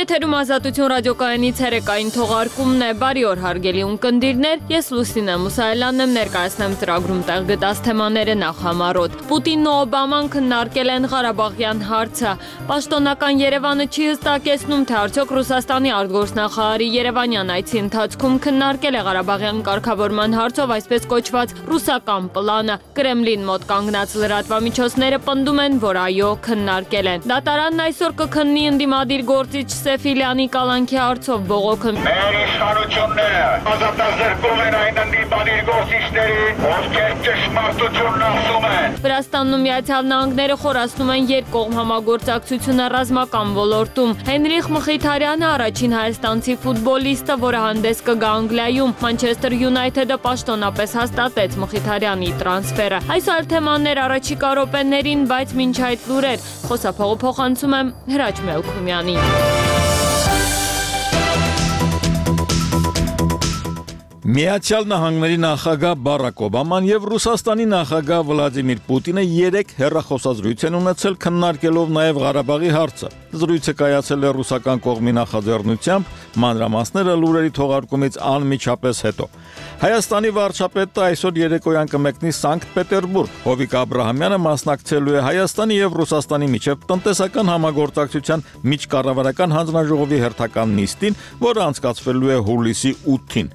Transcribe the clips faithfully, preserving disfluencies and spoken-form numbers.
Եթերում Ազատություն ռադիոկայանից հերեկային թողարկումն է։ Բարի օր հարգելի ունկնդիրներ, ես Լուսինե Մուսայելյանն եմ, ներկայացնեմ ծրագրում տեղ գտած թեմաները նախ համառոտ։ Պուտինն ու Օբաման քննարկել են Ղարաբաղյան հարցը։ Պաշտոնական Երևանը չի հստակեցնում, թե արդյոք Ռուսաստանի արտգործնախարարի Երևանյան այցի ընթացքում քննարկել է Ղարաբաղյան կարգավորման հարցով այսպես կոչված ռուսական պլանը։ Կրեմլին մոտ կանգնած լրատվամիջոցները պնդում են, որ այո, քննարկել են։ Դատարանն այսօր կքննի ընդդիմադիր գործիչ Սեֆիլյանի կալանքի հարցով բողոքը։ Մեր իշխանությունները ազատազրկում են այն ընդդիմադիր գործիչներին, ովքեր ճշմարտությունն ասում են։ Վրաստանն ու Միացյալ Նահանգները խորացնում են երկկողմ համագործակցությունը ռազմական ոլորտում։ Հենրիխ Մխիթարյանը առաջին հայաստանցի ֆուտբոլիստը, որը հանդես կգա Անգլիայում։ Մանչեսթեր Յունայթեդը պաշտոնապես հաստատեց Մխիթարյանի տրանսֆերը։ Այս այլ թեմաներ առաջիկա րոպեներին, բայց մինչ այդ լուրեր խոսափողը փոխանցում եմ Հրաչ Մելքումյանին։ Միացյալ Նահանգների նախագահ Բարակ Օբաման եւ Ռուսաստանի նախագահ Վլադիմիր Պուտինը երեք հեռախոսազրույց են ունեցել քննարկելով նաեւ Ղարաբաղի հարցը։ Զրույցը կայացել է ռուսական կողմի նախաձեռնությամբ, մանրամասները լուրերի թողարկումից անմիջապես հետո։ Հայաստանի վարչապետը այսօր երեկոյան կմեկնի Սանկտ Պետերբուրգ։ Հովիկ Աբրահամյանը մասնակցելու է Հայաստանի եւ Ռուսաստանի միջև տնտեսական համագործակցության միջկառավարական հանձնաժողովի հերթական նիստին, որը անցկացվելու է հուլիսի ութին։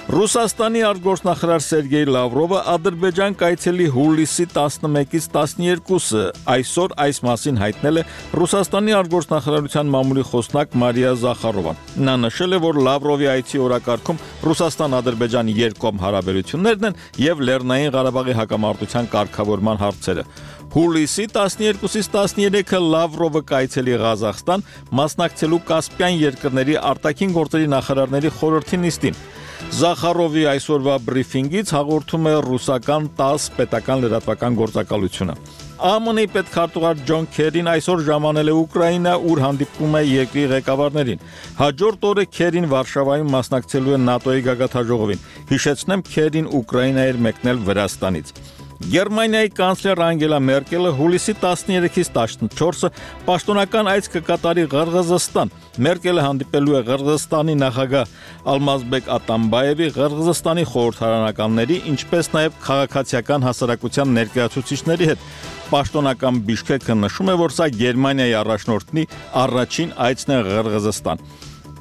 Ռուսաստանի արտգործնախարար Սերգեյ Լավրովը Ադրբեջան կայցելի հուլիսի տասնմեկից տասներկուսը այսօր այս մասին հայտնել է Ռուսաստանի արտգործնախարարության մամուլի խոսնակ Մարիա Զախարովան։ Նա նշել է, որ Լավրովի այցի օրակարգում Ռուսաստան-Ադրբեջան երկկողմ հարաբերություններն են եւ Լեռնային Ղարաբաղի հակամարտության կարգավորման հարցերը։ Հուլիսի տասներկուսից տասներեքը Լավրովը կայցելի Ղազախստան, մասնակցելու Կասպյան երկրների արտաքին գործերի նախարարների խորհրդի նիստին։ Զախարովի այսօրվա բրիֆինգից հաղորդում է ռուսական տաս պետական լրատվական գործակալությունը։ ԱՄՆ-ի պետքարտուղար Ջոն Քերին այսօր ժամանել է Ուկրաինա, ուր հանդիպում է երկրի ղեկավարներին։ Հաջորդ օրը Քերին Վարշավայում մասնակցելու է ՆԱՏՕ-ի գագաթնաժողովին։ Հիշեցնեմ, Քերին Ուկրաինա էր մեկնել Վրաստանից։ Գերմանիայի կանցլեր Անգելա Մերկելը հուլիսի տասներեքից տասնչորսը պաշտոնական այց կկատարի Ղրղզստան։ Մերկելը հանդիպելու է Ղրղզստանի նախագահ Ալմազբեկ Ատամբաևի, Ղրղզստանի խորհրդարանականների, ինչպես նաև քաղաքացիական հասարակության ներկայացուցիչների հետ։ Պաշտոնական Բիշքեքը նշում է, որ սա Գերմանիայի առաջնորդի առաջին այցն է Ղրղզստան։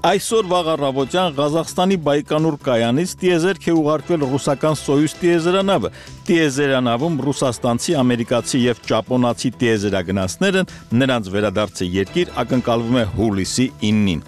Այսօր վաղ առավոտյան Ղազախստանի Բայկանուր կայանից տիեզերք է ուղարկվել ռուսական Սոյուզ տիեզերանավը։ Տիեզերանավում ռուսաստանցի, ամերիկացի եւ ճապոնացի տիեզերագնացներ են, նրանց վերադարձը երկիր ակնկալվում է հուլիսի իննին։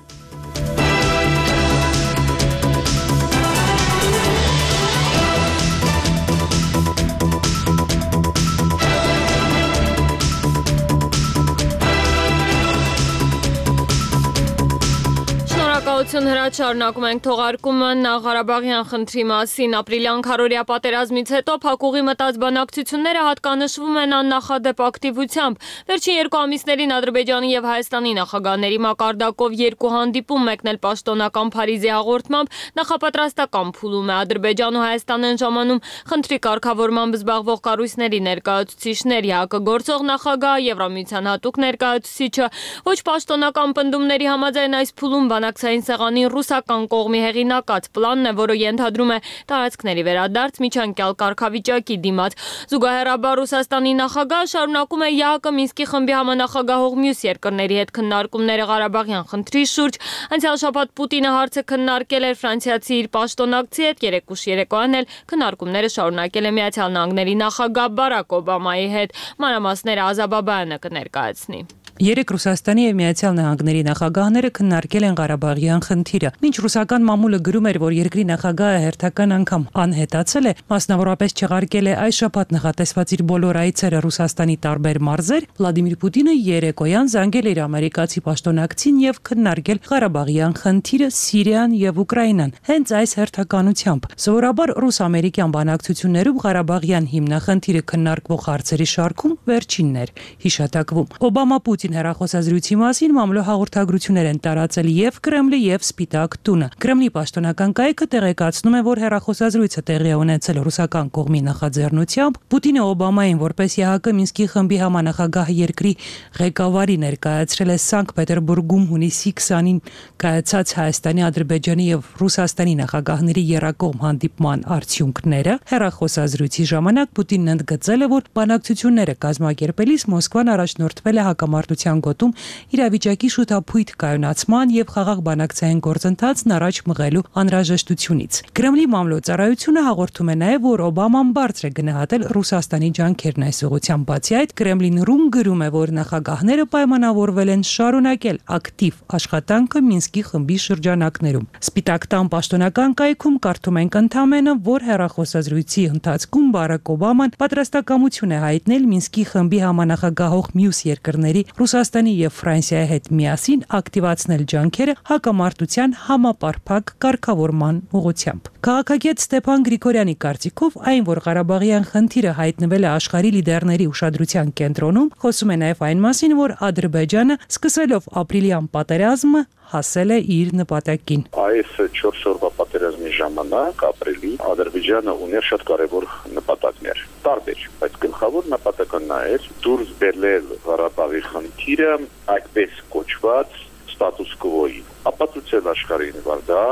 Հրաչ շարունակում ենք թողարկումը Ղարաբաղյան խնդրի մասին։ Ապրիլյան քառօրյա պատերազմից հետո փակուղի մտած բանակցությունները հատկանշվում են աննախադեպ ակտիվությամբ։ Վերջին երկու ամիսներին Ադրբեջանի եւ Հայաստանի նախագահների մակարդակով երկու հանդիպում, մեկն էլ պաշտոնական Փարիզի հաղորդմամբ նախապատրաստական փուլում է։ Ադրբեջանն ու Հայաստանն են ժամանում խնդրի կարգավորմամբ զբաղվող կառույցների ներկայացուցիչներ, ՀԱԿ-ը գործող նախագահ, Եվրամիության հատուկ ներկայացուցիչը։ Ոչ պաշտոնական պնդումների համաձայն այս փուլում բանակցային սեղանի ռուսական կողմի հեղինակած պլանն է, որը ենթադրում է տարածքների վերադարձ միջանկյալ կարգավիճակի դիմաց։ Զուգահեռաբար Ռուսաստանի նախագահը շարունակում է ՀԱԿ-ը Մինսկի խմբի համանախագահող մյուս երկրների հետ քննարկումները Ղարաբաղյան խնդրի շուրջ։ Անցյալ շաբաթ Պուտինը հարցը քննարկել էր ֆրանսիացի իր պաշտոնակցի հետ, երեկուշ երեկոյան էլ քննարկումները շարունակել է Միացյալ Նահանգների նախագահ Բարակ Օբամայի հետ։ Մանրամասները Ազա Բաբայանը կներկայացնի։ Երեք Ռուսաստանի եւ Միացյալ Նահանգների նախագահները քննարկել են Ղարաբաղյան խնդիրը։ Մինչ ռուսական մամուլը գրում էր, որ երկրի նախագահը հերթական անգամ անհետացել է, մասնավորապես չեղարկել է այս շաբաթ նախատեսված իր բոլոր այցերը Ռուսաստանի տարբեր մարզեր, Վլադիմիր Պուտինը երեկոյան զանգել էր ամերիկացի պաշտոնակցին եւ քննարկել Ղարաբաղյան խնդիրը, Սիրիան եւ Ուկրաինան։ Հենց այս հերթականությամբ սովորաբար ռուս-ամերիկյան բանակցություններում Ղարաբաղյան հիմնախնդիրը քննարկվող հարցերի շարքում վերջինն էր հիշատակվում։ Օբամա-Պուտին վերջին հեռախոսազրույցի մասին մամլո հաղորդագրություններ են տարածել եւ Կրեմլի եւ Սպիտակ տունը։ Կրեմլի պաշտոնական կայքը տեղեկացնում է, որ հեռախոսազրույցը տեղի է ունեցել ռուսական կողմի նախաձեռնությամբ։ Պուտինը Օբամային որպես ԵՀԿ Մինսկի խմբի համանախագահ երկրի ղեկավարի ներկայացրել է Սանկտ Պետերբուրգում հունիսի քսանին կայացած Հայաստանի, Ադրբեջանի եւ Ռուսաստանի նախագահների եռակողմ հանդիպման արդյունքները։ Հեռախոսազրույցի ժամանակ Պուտինն ընդգծել է, որ բանակցությունները կազմակերպելիս Մոսկվան առաջնորդվել է հակամարտության գոտում իրավիճակի շուտափույթ կայունացման եւ խաղաղ բանակցային գործընթացն առաջ մղելու անհրաժեշտությունից։ Կրեմլի մամլոյցարայությունը հաղորդում է նաեւ, որ Օբաման բարձր է գնահատել Ռուսաստանի ջանքերն այս ուղղությամբ։ Բացի այդ, Կրեմլին ռում գրում է, որ նախագահները պայմանավորվել են շարունակել ակտիվ աշխատանքը Մինսկի խմբի շրջանակներում։ Սպիտակ տան պաշտոնական կայքում կարդում ենք ընդամենը, որ հեռախոսազրույցի ընթացքում Բարակ Օբաման պատրաստակամություն է հայտնել Մինսկի խմբի համանախագահող մյուս երկրների Ռուսաստանի եւ Ֆրանսիայի հետ միասին ակտիվացնել ջանքերը հակամարտության համապարփակ կարգավորման ուղղությամբ։ Քաղաքագետ Ստեփան Գրիգորյանի կարծիքով այն, որ Ղարաբաղյան խնդիրը հայտնվել է աշխարհի լիդերների ուշադրության կենտրոնում, խոսում է նաեւ այն մասին, որ Ադրբեջանը սկսելով ապրիլյան պատերազմը հասել է իր նպատակին։ Այս չորս օրվա պատերազմի ժամանակ ապրիլի Ադրբեջանը ուներ շատ կարևոր նպատակներ։ Տարբեր, բայց գլխավոր նպատակը նա էր դուրս բերել Ղարաբաղի խնդիրը այդպես կոչված ստատուս կվոյի, ապացուցել աշխարհին, որ դա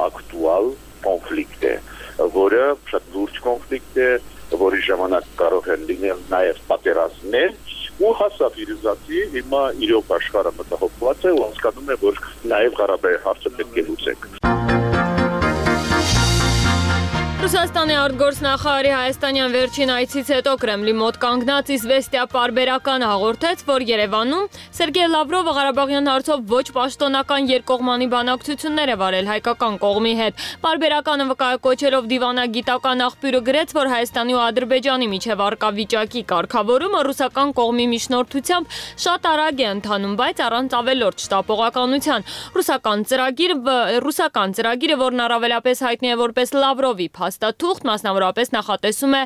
ակտուալ կոնֆլիկտ է, որը շատ լուրջ կոնֆլիկտ է, որի ժամանակ կարող են լինել նաև պատերազմներ, ու հասավ իր զացի, հիմա իրոք աշխարհը մտահոգված է ու հասկանում է, որ նաև Ղարաբաղի հարցը պետք է լուծենք։ Ռուսաստանի արտգործնախարարի հայաստանյան վերջին այցից հետո Կրեմլի մոտ կանգնած Իզվեստիա պարբերական հաղորդեց, որ Երևանում Սերգեյ Լավրովը Ղարաբաղյան հարցով ոչ պաշտոնական երկկողմանի բանակցություններ է վարել հայկական կողմի հետ։ Պարբերականը վկայակոչելով դիվանագիտական աղբյուրը գրեց, որ Հայաստանի ու Ադրբեջանի միջև առկա վիճակի կարգավորումը ռուսական կողմի միջնորդությամբ շատ արագ է ընթանում, բայց առանց ավելորդ շտապողականության։ Ռուսական ծրագիրը ռուսական ծրագիրը, որն առավելապես հայտնի է որպես Լավրովի փաստաթուղթ, մասնավորապես նախատեսում է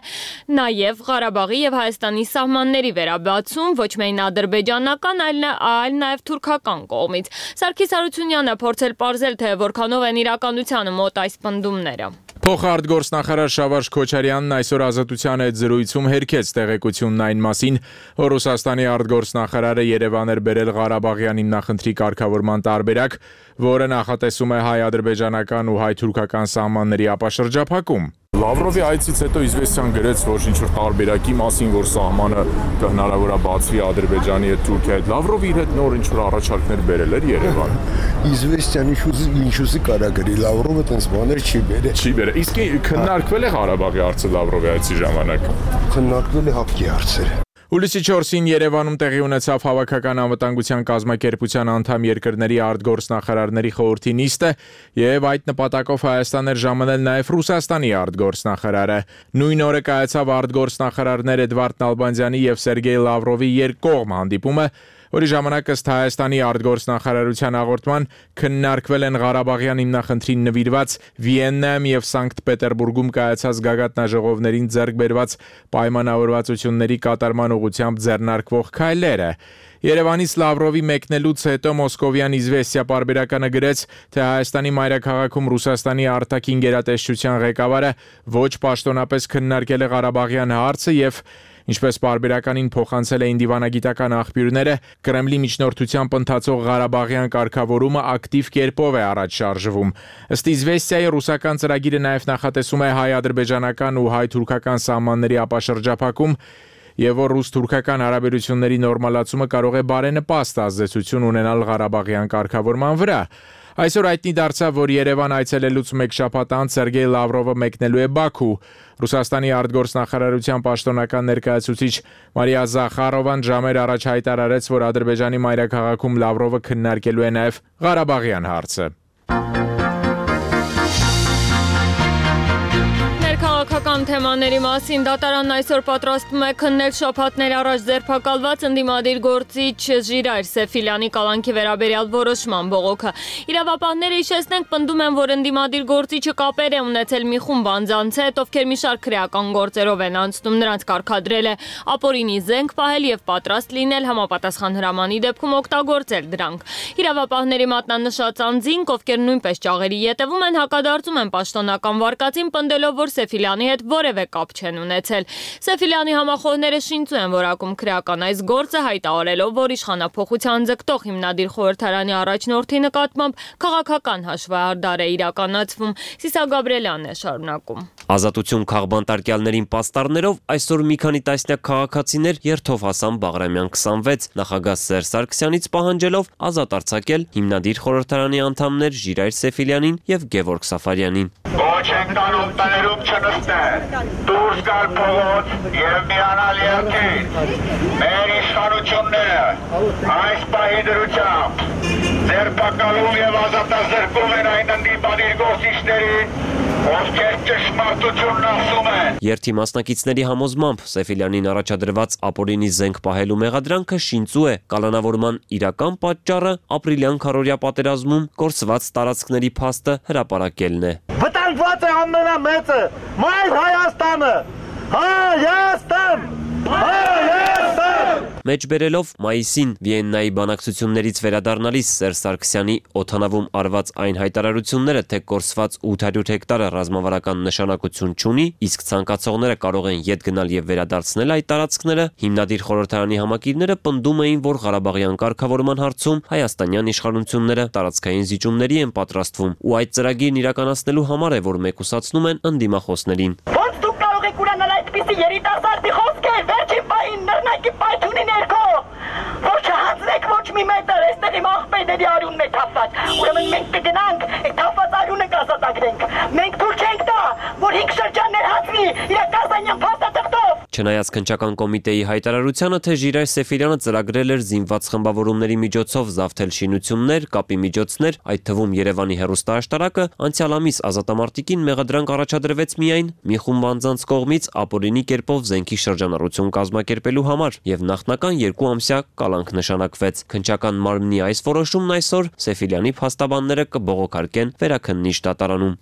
նաև Ղարաբաղի եւ Հայաստանի սահմանների վերաբացում, ոչ միայն ադրբեջանական, այլ, այլ նաև թուրքական կողմից։ Սարգիս Հարությունյանը փորձել պարզել, թե որքանով են իրականությանը մոտ այս պնդումները։ Փոխարտգործնախարար Շավարժ Քոչարյանն այսօր Ազատության հետ զրույցում հերքեց տեղեկությունն այն մասին, որ Ռուսաստանի արտգործնախարարը Երևան էր բերել Ղարաբաղյան հիմնախնդրի կարգավորման տարբերակ, որը նախատեսում է հայ-ադրբեջանական ու հայ-թուրքական սահմանների ապաշրջափակում։ Լավրովի այցից հետո Իզվեստիան գրեց, որ ինչ-որ տարբերակի մասին, որ սահմանը հնարավոր է բացվի Ադրբեջանի հետ Թուրքիայի հետ։ Լավրովը իր հետ նոր ինչ-որ առաջարկներ բերել էր Երևան։ Իզվեստիան ինչ-ուզի կարա գրի, Լավրովը տենց բաներ չի բերել։ Չի բերել։ Իսկ քննարկվել է Ղարաբաղի հարցը Լավրովի այցի ժամանակ։ Քննարկվել է հապկի հարցերը։ Հուլիսի չորսին Երևանում տեղի ունեցավ Հավաքական անվտանգության կազմակերպության անդամ երկրների արտգործնախարարների խորհրդի նիստը եւ այդ նպատակով Հայաստան էր ժամանել նաեւ Ռուսաստանի արտգործնախարարը։ Նույն օրը կայացավ արտգործնախարարներ Էդվարդ Նալբանդյանի եւ Սերգեյ Լավրովի երկկողմ հանդիպումը, որի ժամանակ ըստ Հայաստանի արտգործնախարարության հաղորդման քննարկվել են Ղարաբաղյան հիմնախնդրին նվիրված Վիեննայում եւ Սանկտ Պետերբուրգում կայացած գագաթնաժողովներին ձեռք բերված պայմանավորվածությունների կատարման ուղղությամբ ձեռնարկվող քայլերը։ Երևանից Լավրովի մեկնելուց հետո Մոսկովյան Իզվեստիա պարբերականը գրեց, թե Հայաստանի մայրաքաղաքում Ռուսաստանի արտաքին գերատեսչության ղեկավարը ոչ պաշտոնապես քննարկել է Ղարաբաղյան հարցը եւ ինչպես պարբերականին փոխանցել էին դիվանագիտական աղբյուրները, Կրեմլի միջնորդությամբ ընթացող Ղարաբաղյան կարգավորումը ակտիվ կերպով է առաջ շարժվում։ Ըստ Իզվեստիայի ռուսական ծրագիրը նաև նախատեսում է հայ-ադրբեջանական ու հայ-թուրքական սահմանների ապաշրջափակում եւ որ ռուս-թուրքական հարաբերությունների նորմալացումը կարող է բարենպաստ ազդեցություն ունենալ Ղարաբաղյան կարգավորման վրա։ Այսօր հայտնի դարձավ, որ Երևան այցելելուց մեկ շաբաթ անց Սերգեյ Լավրովը մեկնելու է Բաքու։ Ռուսաստանի արտգործնախարարության պաշտոնական ներկայացուցիչ Մարիա Զախարովան ժամեր առաջ հայտարարեց, որ Ադրբեջանի մայրաքաղաքում Լավրովը քննարկելու է նաև Ղարաբաղյան հարցը։ Քաղաքական շրջանային թեմաների մասին դատարանն այսօր պատրաստվում է քննել շաբաթներ առաջ ձերբակալված ընդդիմադիր գործիչ Ժիրայր Սեֆիլյանի կալանքի վերաբերյալ որոշման բողոքը։ Իրավապահները հիշեցնենք պնդում են, որ ընդդիմադիր գործիչը կապեր է ունեցել մի խումբ անձանց հետ, ովքեր մի շարք քրեական գործերով են անցնում, նրանց կարգադրել է ապօրինի զենք պահել եւ պատրաստ լինել համապատասխան հրամանի դեպքում օգտագործել դրանք։ Իրավապահների մատնանշած անձինք, ովքեր նույնպես ճաղերի ետևում են, հակադարձում են պաշտոնական վարկածին, պնդելով, որ Սեֆիլյանի հետ որևէ կապ չեն ունեցել։ Սեֆիլյանի համախոհները շինծու են որակում քրեական այս գործը, հայտարարելով, որ իշխանափոխության ձգտող հիմնադիր խորհրդարանի առաջնորդի նկատմամբ քաղաքական հաշվահարդար է իրականացվում։ Սիսա Գաբրելյանն է շարունակում։ Ազատություն քաղբանտարկյալներին պաստառներով այսօր մի քանի տասնյակ քաղաքացիներ երթով հասան Բաղրամյան քսանվեց, նախագահ Սերժ Սարգսյանից պահանջելով ազատ արձակել հիմնադիր խորհրդարանի անդամներ Ժիրայր Սեֆիլյանին եւ Գևորգ Սաֆարյանին։ Ոչ ենք տանում տներում չնստել, դուրս գալ փողոց եւ միանալ երկիր։ Մեր իշխանությունները այս պահի դրությամբ ձերբակալում եւ ազատազրկում են այն ընդդիմադիր գործիչներին, ովքեր ճշմարտությունն ասում են։ Երթի մասնակիցների համոզմամբ Սեֆիլյանին առաջադրված ապօրինի զենք պահելու մեղադրանքը շինծու է։ Կալանավորման իրական պատճառը ապրիլյան քարորյա պատերազմում կորսված տարածքների փաստը հրապարակելն է։ Վտանգված է ամենամեծը, մայր Հայաստանը։ Հայաստան! Հայաստան! Մեջ բերելով մայիսին Վիեննայի բանակցություններից վերադառնալիս Սերժ Սարգսյանի օդանավում արված այն հայտարարությունները, թե կորսված ութ հարյուր հեկտարը ռազմավարական նշանակություն չունի, իսկ ցանկացողները կարող են ետ գնալ եւ վերադարձնել այդ տարածքները, հիմնադիր խորհրդարանի համակիրները պնդում էին, որ Ղարաբաղյան կարգավորման հարցում հայաստանյան իշխանությունները տարածքային զիջումների են պատրաստվում, ու այդ ծրագիրն իրականացնելու համար է, որ մեկուսացնում են ընդդիմախոսներին։ Ոնց դուք կարող եք ուրանալ այդպիսի երիտասարդի խոսքեր, վերջին պահին նռնակի պայթյունի ներքո, որ չհանձնեք ոչ մի մետր, այստեղ իմ աղբերների արյունն է թափված, ուրեմն մենք կգնանք, այդ թափված արյունը կազատագրենք, մենք թույլ չենք տա, որ հինգ շրջաններ հացվի իրակազանյան փաստաթղթով։ Չնայած քննչական կոմիտեի հայտարարությանը, թե Ժիրայր Սեֆիլյանը ծրագրել էր զինված խմբավորումների միջոցով զավթել շինություններ, կապի միջոցներ, այդ թվում Երևանի հեռուստաաշտարակը, անցյալ ամիս ազատամարտիկին մեղադրանք առաջադրվեց միայն մի խումբ անձանց կողմից ապօրինի կերպով զենքի շրջանառություն կազմակերպելու համար եւ նախնական երկու ամսյա կալանք նշանակվեց։ Քննչական մարմնի այս որոշումն այսօր Սեֆիլյանի փաստաբանները կբողոքարկեն վերաքննիչ դատարանում։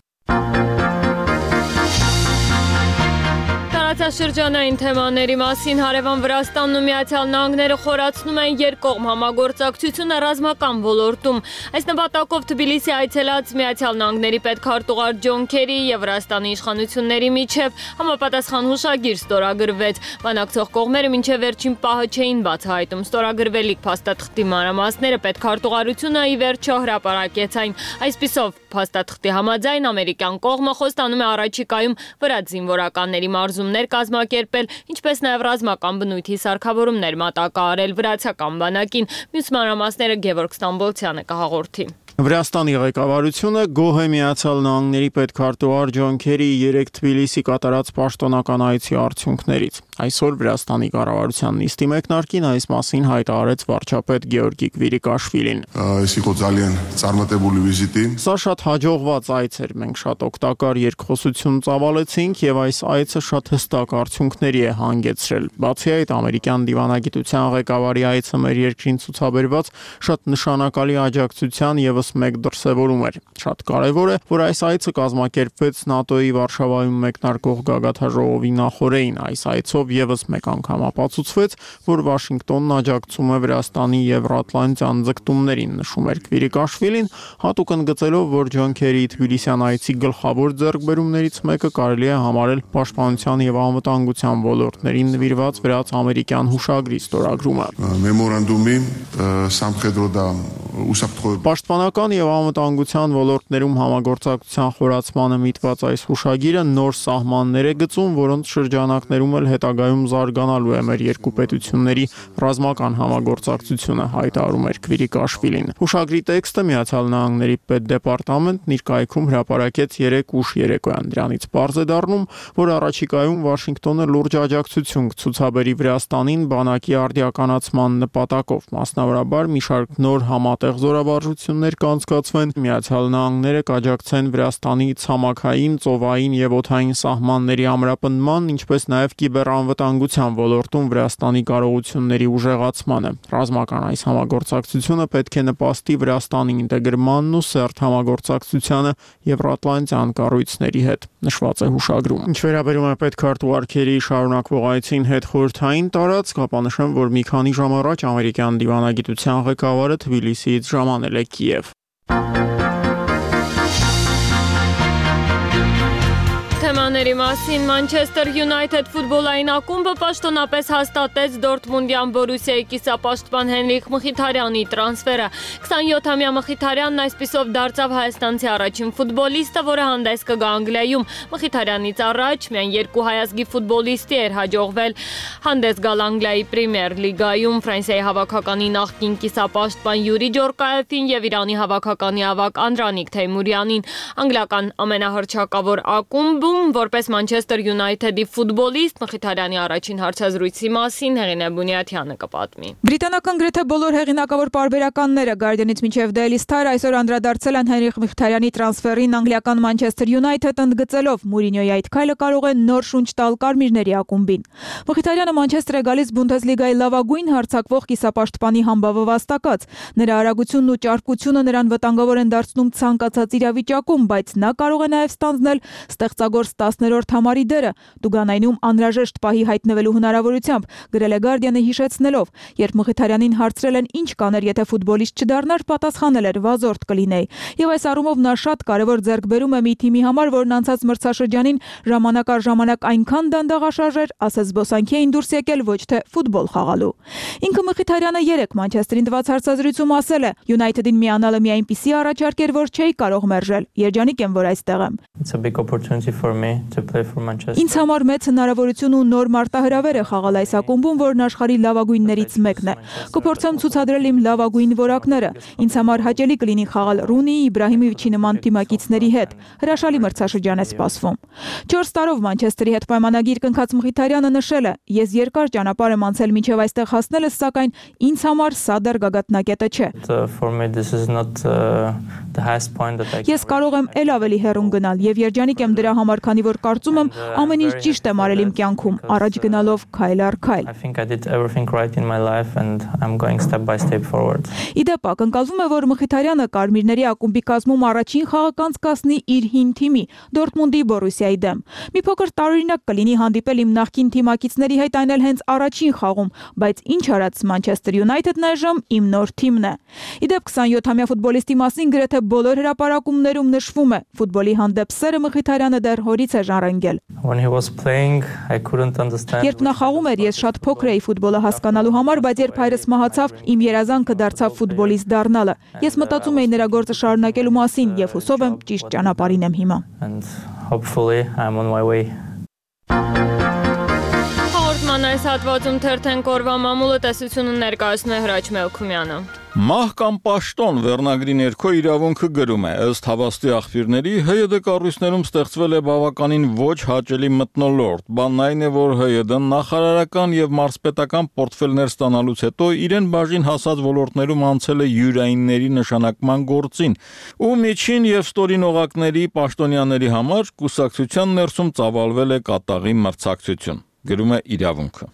Շրջանային թեմաների մասին հարևան Վրաստանն ու Միացյալ Նահանգները խորացնում են երկկողմ համագործակցությունը ռազմական ոլորտում։ Այս նպատակով Թբիլիսի այցելած Միացյալ Նահանգների պետքարտուղար Ջոն Քերի եւ Վրաստանի իշխանությունների միջև համապատասխան հուշագիր ստորագրվեց։ Բանակցող կողմերը մինչև վերջին պահը չէին բացահայտում ստորագրվելիք փաստաթղթի մանրամասները, պետքարտուղարությունը ի վերջո հրապարակեց այն։ Այսպիսով փաստաթղթի համաձայն ամերիկյան կողմը խոստանում է առաջիկայում վրաց զինվորականների մարզումներ կազմակերպել, ինչպես նաև ռազմական բնույթի սարքավորումներ մատակարարել վրացական բանակին։ Մյուս մանրամասները Գևորգ Ստամբոլցյանը կհաղորդի։ Վրաստանի ղեկավարությունը գոհ է Միացյալ Նահանգների պետքարտուղար Ջոն Քերի երեկ Թբիլիսի կատարած պաշտոնական այցի արդյունքներից։ Այսօր Վրաստանի կառավարության նիստի մեկնարկին այս մասին հայտարարեց վարչապետ Գեորգի Կվիրիկաշվիլին։ Սա շատ հաջողված այց էր, մենք շատ օգտակար երկխոսություն ծավալեցինք եւ այս այցը շատ հստակ արդյունքների է հանգեցրել։ Բացի այդ, ամերիկյան դիվանագիտության ղեկավարի այցը մեր երկրին ցուցաբերված շատ նշանակալի աջակցության եւ մեկ դրսևորում էր։ Շատ կարևոր է, որ այս այցը կազմակերպվեց ՆԱՏՕ-ի Վարշավայում մեկնարկող գագաթնաժողովի նախօրեին։ Այս այցով եւս մեկ անգամ ապացուցվեց, որ Վաշինգտոնն աջակցում է Վրաստանի եվրատլանտյան ձգտումներին, նշում էր Կվիրիկաշվիլին, հատուկ ընդգծելով, որ Ջոն Քերիի Թբիլիսյան այցի գլխավոր ձեռքբերումներից մեկը կարելի է համարել պաշտպանության եւ անվտանգության ոլորտներին նվիրված վրաց-ամերիկյան հուշագրի ստորագրումը։ Մեմորանդումի Սամխեդրոդա Պաշտպանական եւ անվտանգության ոլորտներում համագործակցության խորացմանը միտված այս հուշագիրը նոր սահմաններ է գծում, որոնց շրջանակներում էլ հետագա ապագայում զարգանալու է մեր երկու պետությունների ռազմական համագործակցությունը, հայտարարում էր Քվիրիկաշվիլին։ Հուշագրի տեքստը Միացյալ Նահանգների պետդեպարտամենտն իր կայքում հրապարակեց երեկ ուշ երեկոյան։ Դրանից պարզ է դառնում, որ առաջիկայում Վաշինգտոնը լուրջ աջակցություն կցուցաբերի Վրաստանին բանակի արդիականացման նպատակով, մասնավորաբար մի շարք նոր համատեղ զորավարժություններ կանցկացվեն, Միացյալ Նահանգները կաջակցեն Վրաստանի ցամաքային, ծովային եւ օդային սահմանների ամրապնդման, ինչպես նաեւ կիբերանվտանգության ոլորտում Վրաստանի կարողությունների ուժեղացմանը։ Ռազմական այս համագործակցությունը պետք է նպաստի Վրաստանի ինտեգրմանն ու սերտ համագործակցությանը Եվրատլանտյան կառույցների հետ, նշված է հուշագրում։ Ինչ վերաբերում է պետքարտուղարքերի շարունակվող այցին հետ խորհրդային տարածք, ապա նշեմ, որ մի քանի ժամ առաջ ամերիկյան դիվանագիտության ղեկավարը Թբիլիսիից ժամանել է Կիև։ Թեմաների մասին Manchester United ֆուտբոլային ակումբը պաշտոնապես հաստատեց Դորտմունդյան Բորուսիայի կիսապաշտպան Հենրիք Մխիթարյանի տրանսֆերը։ քսանյոթամյա Մխիթարյանն այսպիսով դարձավ հայաստանցի առաջին ֆուտբոլիստը, որը հանդես կգա Անգլիայում։ Մխիթարյանից առաջ միայն երկու հայազգի ֆուտբոլիստի էր հաջողվել հանդես գալ Անգլիայի Պրեմիեր լիգայում՝ Ֆրանսիայի հավաքականի նախկին կիսապաշտպան Յուրի Ջորկաևին եւ Իրանի հավաքականի ավագ Անդրանիկ Թեյմուրյանին։ Անգլիական ամենահռչակավոր ակումբում որպես Manchester United-ի ֆուտբոլիստ Մխիթարյանի առաջին հարցազրույցի մասին Հեղինե Բունյաթյանը կպատմի։ Բրիտանական գրեթե բոլոր հեղինակավոր պարբերականները Guardian-ից մինչև Daily Star այսօր անդրադարձել են Հենրիխ Մխիթարյանի տրանսֆերին անգլիական Manchester United, ընդգծելով Մուրինյոյի այդ քայլը կարող է նոր շունչ տալ կարմիրների ակումբին։ Մխիթարյանը Մանչեսթեր է գալիս Բունդեսլիգայի լավագույն հարձակվող կիսապաշտպանի համբավը վաստակած։ Նրա արագությունն ու ճարպկությունը նրան վտանգավոր են դարձնում ցանկացած իրավիճակում, բայց նա կարող է նաև ստանձնել ստեղծագործ տասներորդ համարի դերը, Տուգանայնում անհրաժեշտ պահի հայտնվելու հնարավորությամբ, գրել է Guardian-ը հիշեցնելով, երբ Մխիթարյանին հարցրել են ինչ կաներ, եթե ֆուտբոլիստ չդառնար, պատասխանել էր վազորդ կլինեի։ Եվ այս առումով նա շատ կարևոր ձեռքբերում է մի թիմի համար, որն անցած մրցաշրջանին ժամանակ առ ժամանակ այնքան դանդաղաշարժ էր, ասես զբոսանքի էին դուրս եկել ոչ թե ֆուտբոլ խաղալու։ Ինքը Մխիթարյանը երեկ Մանչեսթերին տված հարցազրույցում ասել է. United-ին միանալը մի այնպիսի առաջարկ էր, որ չէի կարող մերժել։ Երջանիկ եմ, որ այստեղ եմ։ Ինձ համար մեծ հնարավորություն ու նոր մարտահրավեր է խաղալ այս ակումբում, որն աշխարհի լավագույններից մեկն է։ Կփորձեմ ցուցադրել իմ լավագույն որակները։ Ինձ համար հաճելի կլինի խաղալ Ռունիի, Իբրահիմովիչի նման թիմակիցների հետ։ Հրաշալի մրցաշրջան է սպասվում։ չորս տարով Մանչեսթերի հետ պայմանագիր կնքած Մխիթարյանը նշել է. Ես երկար ճանապարհ եմ անցել մինչև այստեղ հասնելս, սակայն ինձ համար սա դեռ գագաթնակետը չէ։ Ես կարող եմ էլ ավելի հեռուն գնալ եւ երջանիկ եմ դրա համար, քանի որ կարծում եմ ամեն ինչ ճիշտ եմ արել իմ կյանքում, առաջ գնալով քայլ առ քայլ։ Իդեպ ակնկալվում է, որ Մխիթարյանը կարմիրների ակումբի կազմում առաջին խաղը կանցկացնի իր հին թիմի Դորտմունդի Բորուսիայի դեմ։ Մի փոքր տարօրինակ կլինի հանդիպել իմ նախկին թիմակիցների հետ, այն էլ հենց առաջին խաղում, բայց ինչ արած Manchester United-ն այժմ իմ նոր թիմն է։ Իդեպ քսանյոթամյա ֆուտբոլիստի մասին գրեթե բոլոր հրապարակումներում նշվում է. ֆուտբոլի հանդեպ սերը Մխիթարյանը դեռ հորից է ժառանգել։ Երբ նա խաղում էր, ես շատ փոքր էի ֆուտբոլը հասկանալու համար, բայց երբ հայրս մահացավ, իմ երազանքը դարձավ ֆուտբոլիստ դառնալը։ Ես մտածում էի նրա գործը շարունակելու մասին եւ հուսով եմ ճիշտ ճանապարհին եմ հիմա։ Հաղորդման այս հատվածում թերթեն կորվա մամուլը տեսությունը ներկայացնում է Հրաչ Մելքումյանը։ Մահ կամ պաշտոն վերնագրի ներքո իրավունքը գրում է, ըստ հավաստի աղբյուրների, ՀՅԴ կառույցներում ստեղծվել է բավականին ոչ հաճելի մթնոլորտ։ Բանն այն է, որ ՀՅԴ-ն նախարարական եւ մարզպետական պորտֆելներ ստանալուց հետո իրեն բաժին հասած ոլորտներում անցել է յուրայինների նշանակման գործին, ու միջին եւ ստորին օղակների պաշտոնյաների համար կուսակցության ներսում ծավալվել է կատաղի մրցակցություն, գրում է իրավունքը։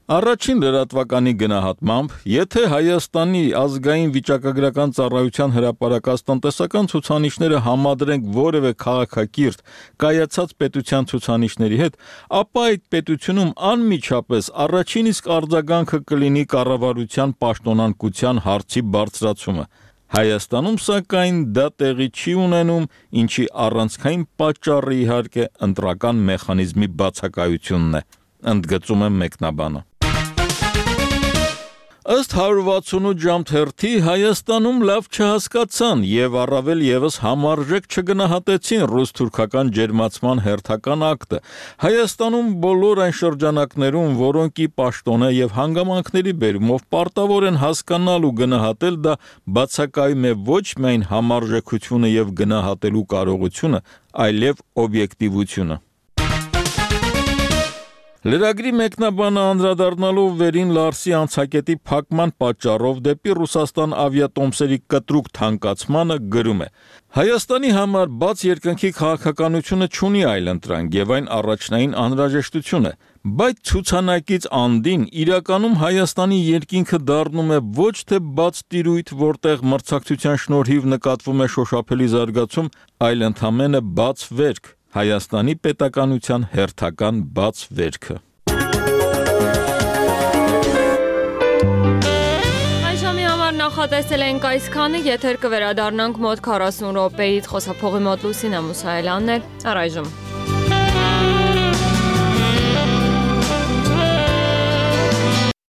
Առաջին լրատվականի գնահատմամբ, եթե Հայաստանի ազգային վիճակագրական ծառայության հրապարակած տնտեսական ցուցանիշները համադրենք որևէ քաղաքակիրթ կայացած պետության ցուցանիշների հետ, ապա այդ պետությունում անմիջապես առաջին իսկ արձագանքը կլինի կառավարության պաշտոնանկության հարցի բարձրացումը։ Հայաստանում սակայն դա տեղի չի ունենում, ինչի առանցքային պատճառը իհարկե ընտրական մեխանիզմի բացակայությունն է, ընդգծում է մեկնաբանը։ Ըստ one sixty-eight ժամ թերթի Հայաստանում լավ չհասկացան եւ առավել եւս համարժեք չգնահատեցին ռուս-թուրքական ջերմացման հերթական ակտը։ Հայաստանում բոլոր այն շրջանակներում, որոնք ի պաշտոնե եւ հանգամանքների բերումով պարտավոր են հասկանալ ու գնահատել, դա բացակայում է ոչ միայն համարժեքությունը եւ գնահատելու կարողությունը, այլև օբյեկտիվությունը։ Լրագրի մեկնաբանը անդրադառնալով Վերին Լարսի անցակետի փակման պատճառով դեպի Ռուսաստան ավիատոմսերի կտրուկ թանկացմանը գրում է. Հայաստանի համար բաց երկնքի քաղաքականությունը չունի այլընտրանք եւ այն առաջնային անհրաժեշտություն է, բայց ցուցանակից անդին իրականում Հայաստանի երկինքը դառնում է ոչ թե բաց տիրույթ, որտեղ մրցակցության շնորհիվ նկատվում է շոշափելի զարգացում, այլ ընդամենը բաց վերք, Հայաստանի պետականության հերթական բաց վերքը։ Այժմի համար նախատեսել ենք այսքանը, եթեր կվերադառնանք մոտ քառասուն րոպեից, խոսափողի մոտ Լուսինե Մուսայելյանն էր, առայժմ։